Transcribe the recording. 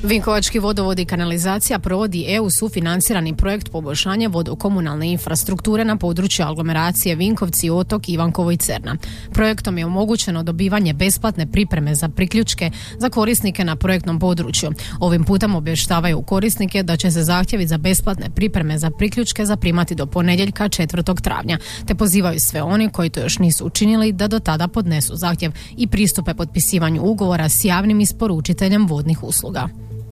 Vinkovački vodovod i kanalizacija provodi EU sufinancirani projekt poboljšanja vodokomunalne infrastrukture na području aglomeracije Vinkovci, Otok, Ivankovo i Cerna. Projektom je omogućeno dobivanje besplatne pripreme za priključke za korisnike na projektnom području. Ovim putem obavještavaju korisnike da će se zahtjevi za besplatne pripreme za priključke zaprimati do ponedjeljka 4. travnja, te pozivaju sve oni koji to još nisu učinili da do tada podnesu zahtjev i pristupe potpisivanju ugovora s javnim isporučiteljem vodnih usluga.